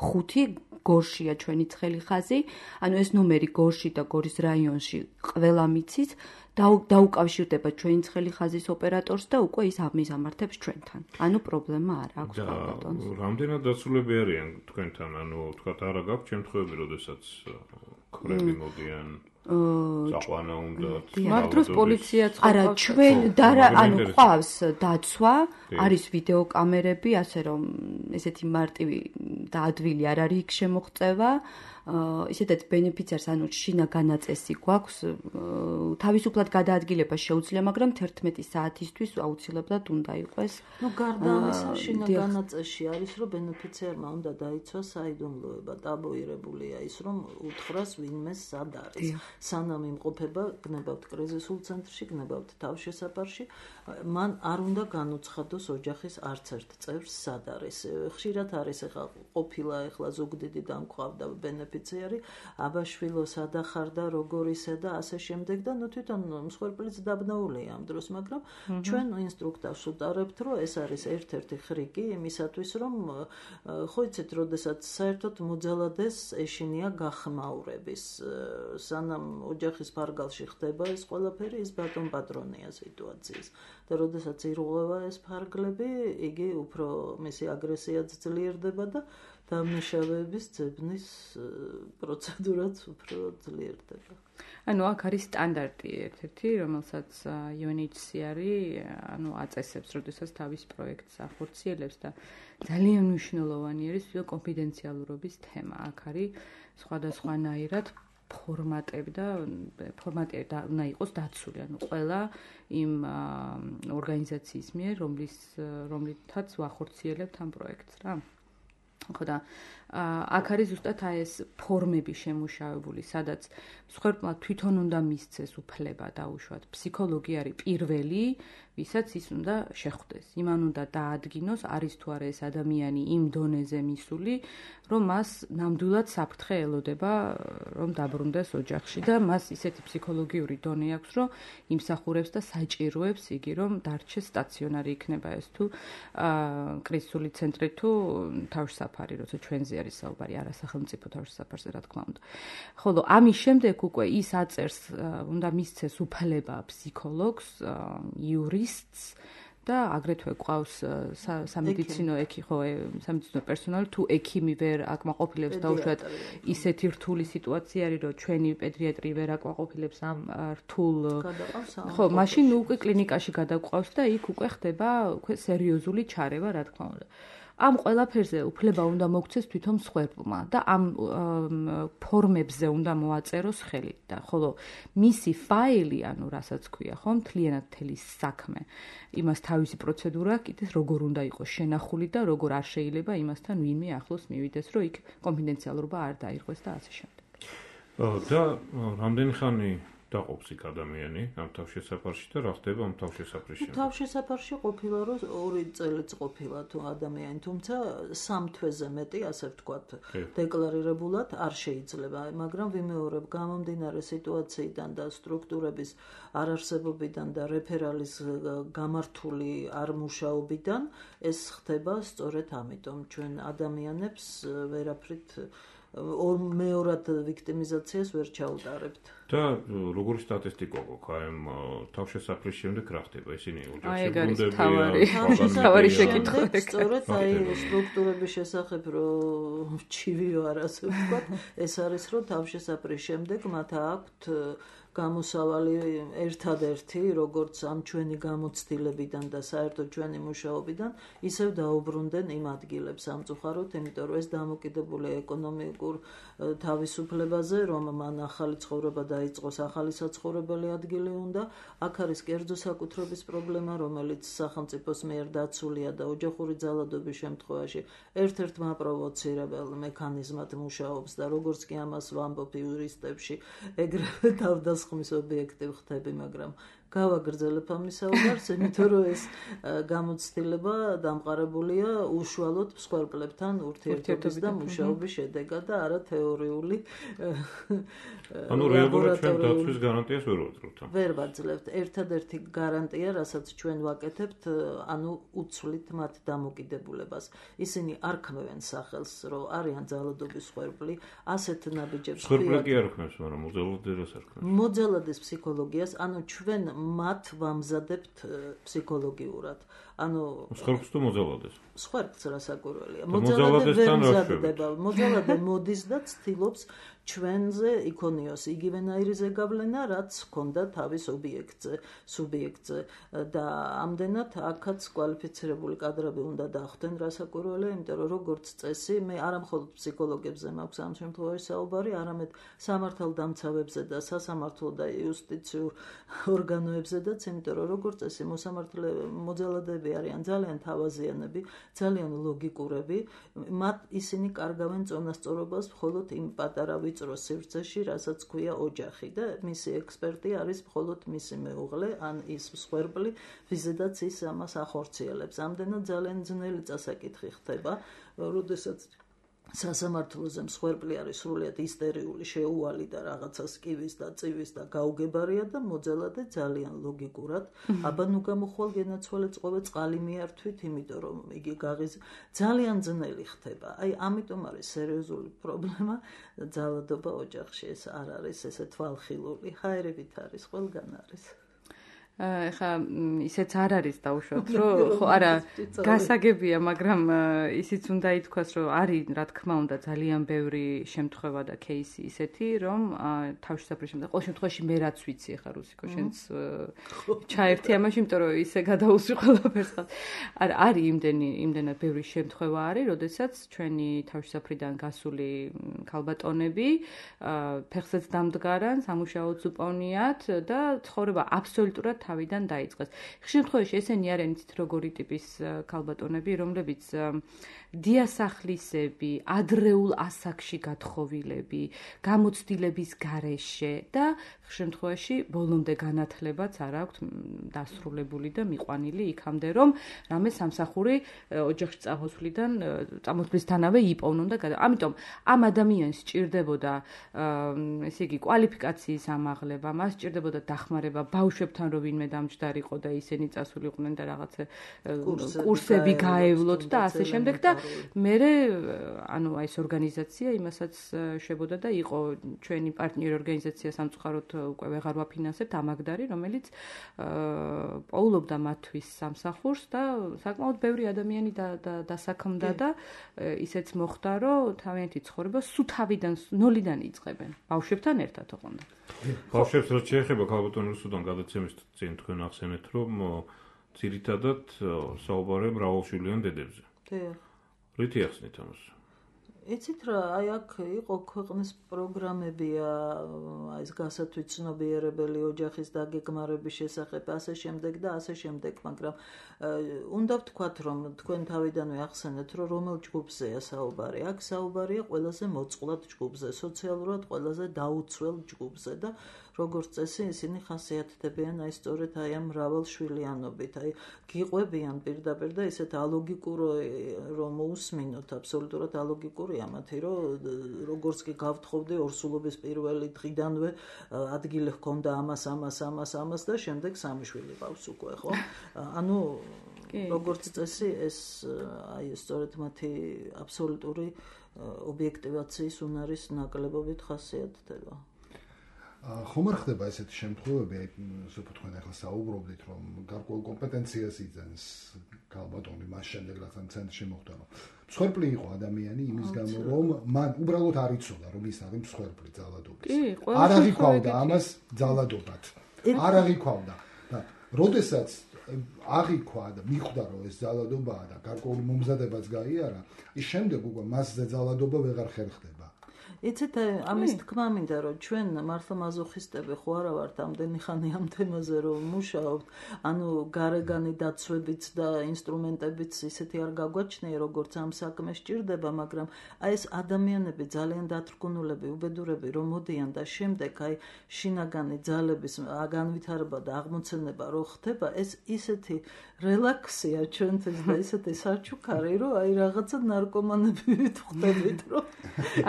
45, გორშია ჩვენი ცხელი ხაზი. ეს ნომერი გორში და გორის რაიონში ყველა მიცის. დაუკავშირდება ჩვენი ცხელი ხაზის ოპერატორს და უკვე ის ამიზამართებს ჩვენთან. პრობლემა არ აქვს ქალბატონს. რამდენად დაცულები არიან თქვენთან? თქვათ, არა გაქვს შემთხვევები, როდესაც ქმრები მოდიან წაყვანა უნდათ. მაგ დროს პოლიციაც არა, ჩვენ ყავს დაცვა, არის ვიდეოკამერები, ასე რომ ესეთი მარტივი და ადვილი არ არის იქ შემოღწევა. ისედაც ბენეფიციარს შინაგანაწესი გვაქვს, თავისუფლად გადაადგილება შეუძლია, მაგრამ 11 საათისთვის აუცილებლად უნდა იყოს. გარდა ამისა, შინაგანაწესში არის, რომ ბენეფიციარმა უნდა დაიცვას საიდუმლოება, ტაბუირებულია ის, რომ უთხრას ვინმეს სად არის. სანამ იმყოფება, გნებავთ კრიზისულ ცენტრში, გნებავთ თავშესაფარში, მან არ უნდა განუცხადოს ოჯახის არც ერთ წევრს სად არის. ხშირად არის ყოფილა ზუგდიდი დამკვავდა ბენეფიციარი, აბაშვილო სადა ხარ და როგორ ისე და ასე შემდეგ და თვითონ მსხვერპლიც დაბნეულია ამ დროს, მაგრამ ჩვენ ინსტრუქტორს უტარებთ, რომ ეს არის ერთ-ერთი ხრიკი იმისათვის, რომ ხო იცით, როდესაც საერთოდ მოძალადეს ეშინია გახმაურების, სანამ ოჯახის ფარგალში ხდება ეს ყველაფერი, ის ბატონ პატრონია სიტუაციის. და როდესაც ირღვევა ეს ფარგლები, იგი უფრო მისი აგრესიაც ძლიერდება და დამნაშავეების ძებნის პროცედურაც უფრო ძლიერდება. აქ არის სტანდარტი ერთ-ერთი, რომელსაც UNHCR აწესებს, როდესაც თავის პროექტს ახორციელებს და ძალიან მნიშვნელოვანი არის კონფიდენციალურობის თემა. აქ არის სხვადასხვანაირად ფორმატები და ფორმატი უნდა იყოს დაცული, ყველა იმ ორგანიზაციის მიერ, რომლითაც ვახორციელებთ ამ პროექტს, რა. ხო და აქ არის ზუსტად ეს ფორმები შემუშავებული, სადაც მსხვერპლმა თვითონ უნდა მისცეს უფლება დაუშვათ. ფსიქოლოგი არის პირველი, ვისაც ის უნდა შეხვდეს. იმან უნდა დაადგინოს, არის თუ არა ეს ადამიანი იმ დონეზე მისული, რომ მას ნამდვილად საფრთხე ელოდება, რომ დაბრუნდეს ოჯახში და მას ისეთი ფსიქოლოგიური დონე აქვს, რომ იმსახურებს და საჭიროებს იგი, რომ დარჩეს სტაციონარი იქნება ეს თუ კრიზისული ცენტრი თუ თავშესაფარი, როცა ჩვენზე არის საუბარი, არა სახელმწიფო თავშესაფარზე, რა თქმა უნდა. ხოლო ამის შემდეგ უკვე ის აწერს, უნდა მისცეს უფლება ფსიქოლოგს, იურისტს და აგრეთვე ყავს სამედიცინო სამედიცინო პერსონალი, თუ ექიმი ვერ აკმაყოფილებს დაუშვათ ისეთი რთული სიტუაცია არის, რომ ჩვენი პედიატრი ვერ აკმაყოფილებს ამ რთულ მაშინ უკვე კლინიკაში გადაგვყავს და იქ უკვე ხდება სერიოზული ჩარევა, რა თქმა უნდა. ამ ყველაფერზე უფლება უნდა მოგცეს თვითონ მსხვერპლმა და ამ ფორმებზე უნდა მოაწეროს ხელი და ხოლო მისი ფაილი, ანუ რასაც ქვია, ხო, მთლიანად მთელი საქმე, იმას თავისი პროცედურა კიდეს როგორ უნდა იყოს შენახული და როგორ არ შეიძლება იმასთან ვინმე ახლოს მივიდეს, რომ იქ კონფიდენციალურობა არ დაირღვეს და ასე შემდეგ. და რამდენი ხანი დაყოფს იქ ადამიანი ამ თავშესაფარში და რა ხდება ამ თავშესაფრის შემდეგ? თავშესაფარში ყოფილა რომ 2 წელიც ყოფილა თუ ადამიანი, თუმცა 3 თვეზე მეტი, ასე ვთქვათ, დეკლარირებულად არ შეიძლება, მაგრამ ვიმეორებ გამომდინარე სიტუაციიდან და სტრუქტურების არარსებობიდან და რეფერალის გამართული არ მუშაობიდან ეს ხდება სწორედ ამიტომ ჩვენ ადამიანებს ვერაფრით მეორად ვიქტიმიზაციას ვერ ჩაუტარებთ. და როგორი სტატისტიკა გვაქვს ამ თავშესაფრის შემდეგ რა ხდება? ისინი ოჯახში თავარი შეკითხვა. სწორედ აი სტრუქტურების შესახებ რომ ჩივიო არ ასე ვთქვათ, ეს არის რომ თავშესაფრის შემდეგ მათ აქვთ გამოსავალი ერთადერთი, როგორც ამ ჩვენი გამოცდილებიდან და საერთოდ ჩვენი მუშაობიდან, ისევ დაუბრუნდნენ იმ ადგილებს სამწუხაროდ, იმიტომ რომ ეს დამოკიდებული ეკონომიკურ თავისუფლებაზე, რომ მან ახალი ცხოვრება დაიწყოს, ახალი საცხოვრებელი ადგილი უნდა, აქ არის კერძო საკუთრების პრობლემა, რომელიც სახელმწიფოს მიერ დაცულია და ოჯახური ძალადობის შემთხვევაში ერთ-ერთ მაპროვოცირებელ მექანიზმად მუშაობს და როგორც კი ამას ვამბობ იურისტებში, ეგრევე თავდასხმის ობიექტი ხდები, მაგრამ გავაგრძელებ ამის საუბარს, იმიტომ რომ ეს გამოცდილება დამყარებულია უშუალოდ მსხვერპლებთან ურთიერთობის და მუშაობის შედეგად და არა თეორიული ანუ რეალურად ჩვენ დაცვის გარანტიას ვერ ვაძლევთ. ვერ ვაძლევთ. ერთადერთი გარანტია, რასაც ჩვენ ვაკეთებთ, ანუ უცვლით მათ დამოკიდებულებას. ისინი არ ქმევენ სახელს, რომ არიან ძალადობის მსხვერპლი, ასეთ ნაბიჯებს მსხვერპლი კი არ ქმნეს, მაგრამ მოძალადებას არ ქმნეს. მოძალადის ფსიქოლოგიას, ანუ ჩვენ მათ ვამზადებთ ფსიქოლოგიურად. ანუ მსხვერპლს თუ მოძალადეს? მსხვერპლს რასაკვირველია. მოძალადე ვერ მზადდება. მოძალადე მოდის და ცდილობს ჩვენზე იქონიოს იგივენაირი ზეგავლენა, რაც ჰქონდა თავის სუბიექტზე და ამდენად აქაც კვალიფიცირებული კადრები უნდა დახვდნენ რასაკვირველია, იმიტომ რომ როგორც წესი, მე არა მხოლოდ ფსიქოლოგებზე მაქვს ამ შემთხვევაში საუბარი, არამედ სამართალდამცავებზე და სასამართლო და იუსტიციურ ორგანოებზედაც, იმიტომ რომ როგორც წესი მოძალადეები არიან ძალიან თავაზიანები, ძალიან ლოგიკურები, მათ ისინი კარგავენ წონასწორობას მხოლოდ იმ პატარა ვიწრო სივრცეში, რასაც ქვია ოჯახი და მისი ექსპერტი არის მხოლოდ მისი მეუღლე, ან ის მსხვერპლი, ვიზედაც ის ამას ახორციელებს. ამდენად ძალიან ძნელი წასაკითხი ხდება, როდესაც სასამართლოზე მსხვერპლი არის სრულიად ისტერიული, შეუვალი და რაღაცას კივის და წივის და გაუგებარია და მოძალადე ძალიან ლოგიკურად, აბა ნუ გამოხვალ გენაცვალე წყვე წყალი მიართვით, იმიტომ რომ იგი ძალიან ძნელი ხდება. აი ამიტომ არის სერიოზული პრობლემა ძალადობა ოჯახში, ეს არ არის ესე თვალხილული, ჰაერებით არის, ყველგან არის. ეხა ისეც არ არის დაუშვათ, რომ ხო არა გასაგებია, მაგრამ ისიც უნდა ითქვას, რომ არის რა თქმა უნდა ძალიან ბევრი შემთხვევა და кейსი ისეთი, რომ თავშესაფრის შემდეგ ყოველ შემთხვევაში მე რაც ვიცი, ეხა რუსიკო შენც ჩაერთი ამაში, იმიტომ რომ ისე გადაუსვი ყველაფერს. არა, არის იმდენად ბევრი შემთხვევა არის, როდესაც ჩვენი თავშესაფრიდან გასული ქალბატონები ფეხზეც დამდგარან, სამუშაოც უპოვნიათ და ცხოვრება აბსოლუტურად თავიდან დაიწყეს. ხშირ შემთხვევაში ესენი არიან იცით როგორი ტიპის ქალბატონები, რომლებიც დიასახლისები, ადრეულ ასაკში გათხოვილები, გამოცდილების გარეშე და ხშირ შემთხვევაში ბოლომდე განათლებაც არ აქვთ დასრულებული და მიყვანილი იქამდე, რომ რამე სამსახური ოჯახში წამოსვლისთანავე იპოვნონ და ამიტომ ამ ადამიანს სჭირდებოდა ესე იგი კვალიფიკაციის ამაღლება, მას სჭირდებოდა დახმარება ბავშვებთან, რომ ვინმე დამჯდარიყო და ისინი წასულიყვნენ და რაღაცა კურსები გაევლოთ და ასე შემდეგ და მერე ანუ აი ეს ორგანიზაცია იმასაც შვებოდა და იყო ჩვენი პარტნიორი ორგანიზაცია სამწუხაროდ უკვე ვეღარ ვაფინანსებთ ამაგდარი, რომელიც პოულობდა მათთვის სამსახურს და საკმაოდ ბევრი ადამიანი დასაქმდა და ისეც მოხდა, რომ თავიანთი ცხოვრება სულ თავიდან ნოლიდან იწყებენ. ბავშვებთან ერთად ოღონდ. ბავშვებს რაც შეეხება ქალბატონ რუსუდან გადაცემის წინ თქვენ ახსენეთ, რომ ძირითადად საუბარია მრავალშვილიან დედებზე. რითი ახსნით ამას? იცით რა, აი აქ იყო ქვეყნის პროგრამებია, აი ეს გასათვითცნობიერებელი ოჯახის დაგეგმარების შესახებ, ასე შემდეგ და ასე შემდეგ, მაგრამ უნდა ვთქვათ, რომ თქვენ თავიდანვე ახსენეთ, რომ რომელ ჯგუფზეა საუბარი? აქ საუბარია ყველაზე მოწყვლად ჯგუფზე, სოციალურად ყველაზე დაუცველ ჯგუფზე და როგორც წესი ისინი ხასიათდებიან აი სწორედ აი ამ მრავალშვილიანობით, აი გიყვებიან პირდაპირ და ისეთ ალოგიკურო რომ მოусმინოთ, აბსოლუტურად ალოგიკურია მათი, რომ როგორც კი გავთხოვდი ორსულობის პირველი დღიდანვე ადგილი ჰქონდა ამას და შემდეგ სამი შვილი ყავს უკვე, ხო? ანუ როგორც წესი ეს აი სწორედ მათი აბსოლუტური ობიექტივაციის უნარის ნაკლებობით ხასიათდება. ხომ არ ხდება ესეთი შემთხვევები, აი სულ თქვენ ახლა საუბრობდით, რომ გარკვეულ კომპეტენციას იძენს ქალბატონი მას შემდეგ რაც ამ ცენტრში მოხვდა, რომ მსხვერპლი იყო ადამიანი იმის გამო, რომ მან უბრალოდ არ იცოდა, რომ ის არის მსხვერპლი ძალადობის. არ აღიქვავდა ამას ძალადობად. არ აღიქვავდა და როდესაც აღიქვა და მიხვდა, რომ ეს ძალადობაა და გარკვეული მომზადებაც გაიარა, ის შემდეგ უკვე მასზე ძალადობა ვეღარ ხერხდება. იცით, ამის თქმა მინდა, რომ ჩვენ მართლა მაზოხისტები ხო არა ვართ ამდენი ხანი ამ თემაზე რომ მუშაობთ, ანუ გარეგანი დაცვებიც და ინსტრუმენტებიც ისეთი არ გაგვაჩნია, როგორც ამ საქმეს ჭირდება, მაგრამ აი ეს ადამიანები ძალიან დათრგუნულები, უბედურები რომ მოდიან და შემდეგ აი შინაგანი ძალების განვითარება და აღმოცენება რო ხდება, ეს ისეთი რელაქსია ჩვენთვის და ისეთი საჩუქარი, რომ აი რაღაცა ნარკომანები ვიტყვდებით, რომ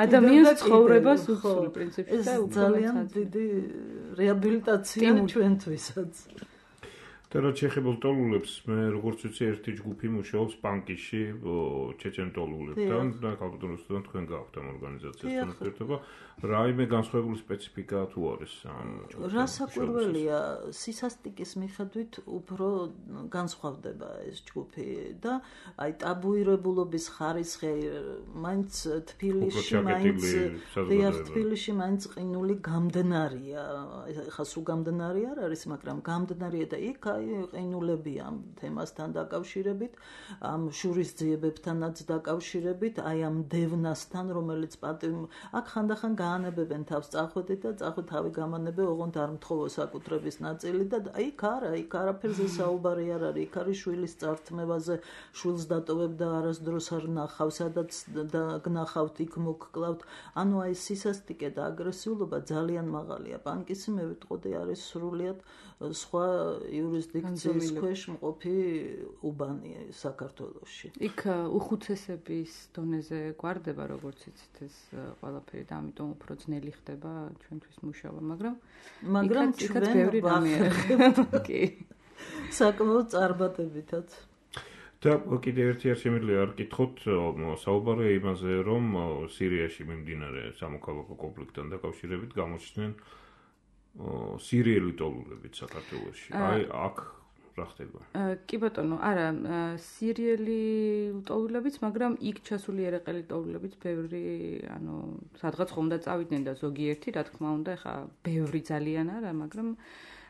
ადამიანს ცხოვრებას უხსოვს პრინციპში და ძალიან დიდი რეაბილიტაცია ჩვენთვისაც. და რა შეხებულ ტოლულებს მე როგორც ვიცი ერთი ჯგუფი მუშაობს ბანკში ჩეჩენ ტოლულებთან და ქალბატონოსთან თქვენ გაქვთ ამ ორგანიზაციასთან ურთიერთობა რაიმე განსხვავებული სპეციფიკა თუ არის ამ ჯგუფთან რასაკვირველია სისასტიკის მიხედვით უფრო განსხვავდება ეს ჯგუფი და აი ტაბუირებულობის ხარისხი მაინც თბილისში მაინც ყინული გამდნარია ხა სულ გამდნარი არ არის მაგრამ გამდნარია და იქ ყინულები ამ თემასთან დაკავშირებით, ამ შურისძიებებთანაც დაკავშირებით, აი ამ დევნასთან, რომელიც აქ ხანდახან გაანებებენ თავს წახვედით და თავი გამანებე, ოღონდ არ მთხოვო საკუთრების ნაწილი და იქ არაფერზე საუბარი არ არის, იქ არის შვილის წართმევაზე, შვილს დატოვებ და არასდროს არ ნახავ, სადაც გნახავთ, იქ მოგკლავთ. ანუ აი სისასტიკე და აგრესიულობა ძალიან მაღალია. ბანკისი მე ვიტყოდი არის სრულიად სხვა იურისდიქციის ქვეშ მყოფი უბანი საქართველოში. იქ უხუცესების დონეზე გვარდება, როგორც იცით, ეს ყველაფერი და ამიტომ უფრო ძნელი ხდება ჩვენთვის მუშაობა, მაგრამ ჩვენ ბევრი რამე კი. საკმაოდ წარმატებითაც. და კიდევ ერთი შემიძლია არ გითხოთ, საუბარია იმაზე, რომ სირიაში მიმდინარე სამოქალაქო კონფლიქტთან დაკავშირებით გამოჩნდნენ სირიელი ტოლულებიც საქართველოში. აი აქ რა ხდება? კი ბატონო, არა, სირიელი ტოლულებიც, მაგრამ იქ ჩასული ერეყელი ტოლულებიც ბევრი, ანუ სადღაც ხომ და წავიდნენ და ზოგიერთი, რა თქმა უნდა, ეხა ბევრი ძალიან არა, მაგრამ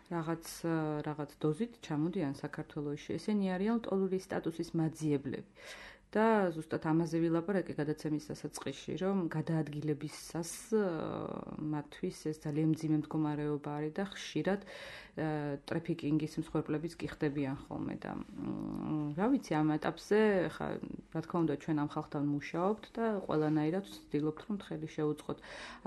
რაღაც დოზით ჩამოდიან საქართველოში. ესენი არიან ტოლურის სტატუსის მაძიებლები. და ზუსტად ამაზე ვილაპარაკე გადაცემის დასაწყისში, რომ გადაადგილებისას მათთვის ეს ძალიან მძიმე მდგომარეობა არის და ხშირად ტრაფიკინგის მსხვერპლებიც კი ხდებიან ხოლმე და რა ვიცი ამ ეტაპზე ხა რა თქმა უნდა ჩვენ ამ ხალხთან მუშაობთ და ყველანაირად ვცდილობთ რომ ხელი შეუწყოთ.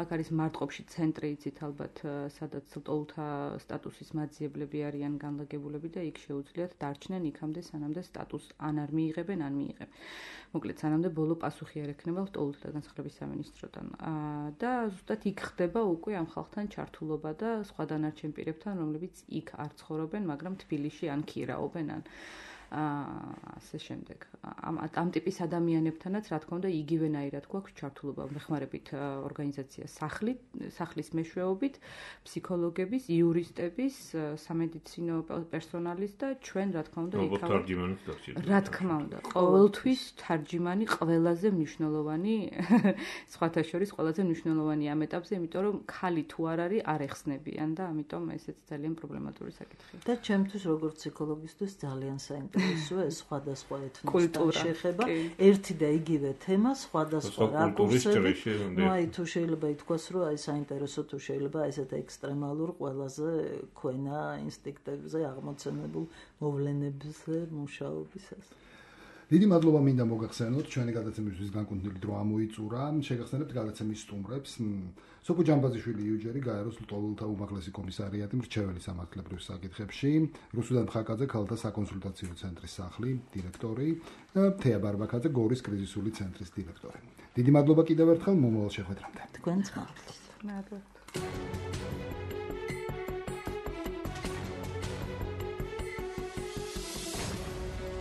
აქ არის მარტყოფში ცენტრი იცით ალბათ სადაც ტოლთა სტატუსის მაძიებლები არიან განლაგებულები და იქ შეუძლიათ დარჩნენ იქამდე სანამდე სტატუსს ან არ მიიღებენ ან მიიღებენ. მოკლედ სანამდე ბოლო პასუხი არ ექნება ტოლთა განსხვავების სამინისტროდან. და ზუსტად იქ ხდება უკვე ამ ხალხთან ჩართულობა და სხვა დანარჩენ პირებთან, რომლებიც იქ არ ცხოვრობენ, მაგრამ თბილისში ან ქირაობენ ან ასე შემდეგ. ამ ტიპის ადამიანებთანაც რა თქმა უნდა იგივენაირად გვაქვს ჩართულობა, მეხმარებით ორგანიზაცია სახლის მეშვეობით, ფსიქოლოგების, იურისტების, სამედიცინო პერსონალის და ჩვენ რა თქმა უნდა იქავთ. რა თქმა უნდა, ყოველთვის თარჯიმანი ყველაზე მნიშვნელოვანი, სხვათა შორის ყველაზე მნიშვნელოვანი ამ ეტაპზე, იმიტომ რომ ხალი თუ არ არის, არ ეხსნებიან და ამიტომ ესეც ძალიან პრობლემატური საკითხია. და ჩემთვის როგორც ფსიქოლოგისტვის ძალიან საინტერესო ისე სხვადასხვა ეთნოსთან შეხება ერთი და იგივე თემა სხვადასხვა რაკურსები. ნუ აი თუ შეიძლება ითქვას, რომ აი საინტერესო თუ შეიძლება ესეთ ექსტრემალურ ყველაზე ქვენა ინსტინქტებზე აღმოცენებულ მოვლენებზე მუშაობისას. დიდი მადლობა მინდა მოგახსენოთ ჩვენი გადაცემისთვის განკუთვნილი დრო ამოიწურა. შეგახსენებთ გადაცემის სტუმრებს. სოფო ჯამბაზიშვილი იუჯერი გაეროს ლტოლვილთა უმაღლესი კომისარიატი მრჩეველი სამართლებრივ საკითხებში, რუსუდან მხაკაძე ქალთა საკონსულტაციო ცენტრის სახლი დირექტორი და თეა ბარბაკაძე გორის კრიზისული ცენტრის დირექტორი. დიდი მადლობა კიდევ ერთხელ მომავალ შეხვედრამდე. თქვენს მადლობა. მადლობა.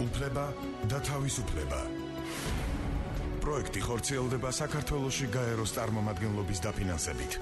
უფლება და თავისუფლება. პროექტი ხორციელდება საქართველოში გაეროს წარმომადგენლობის დაფინანსებით.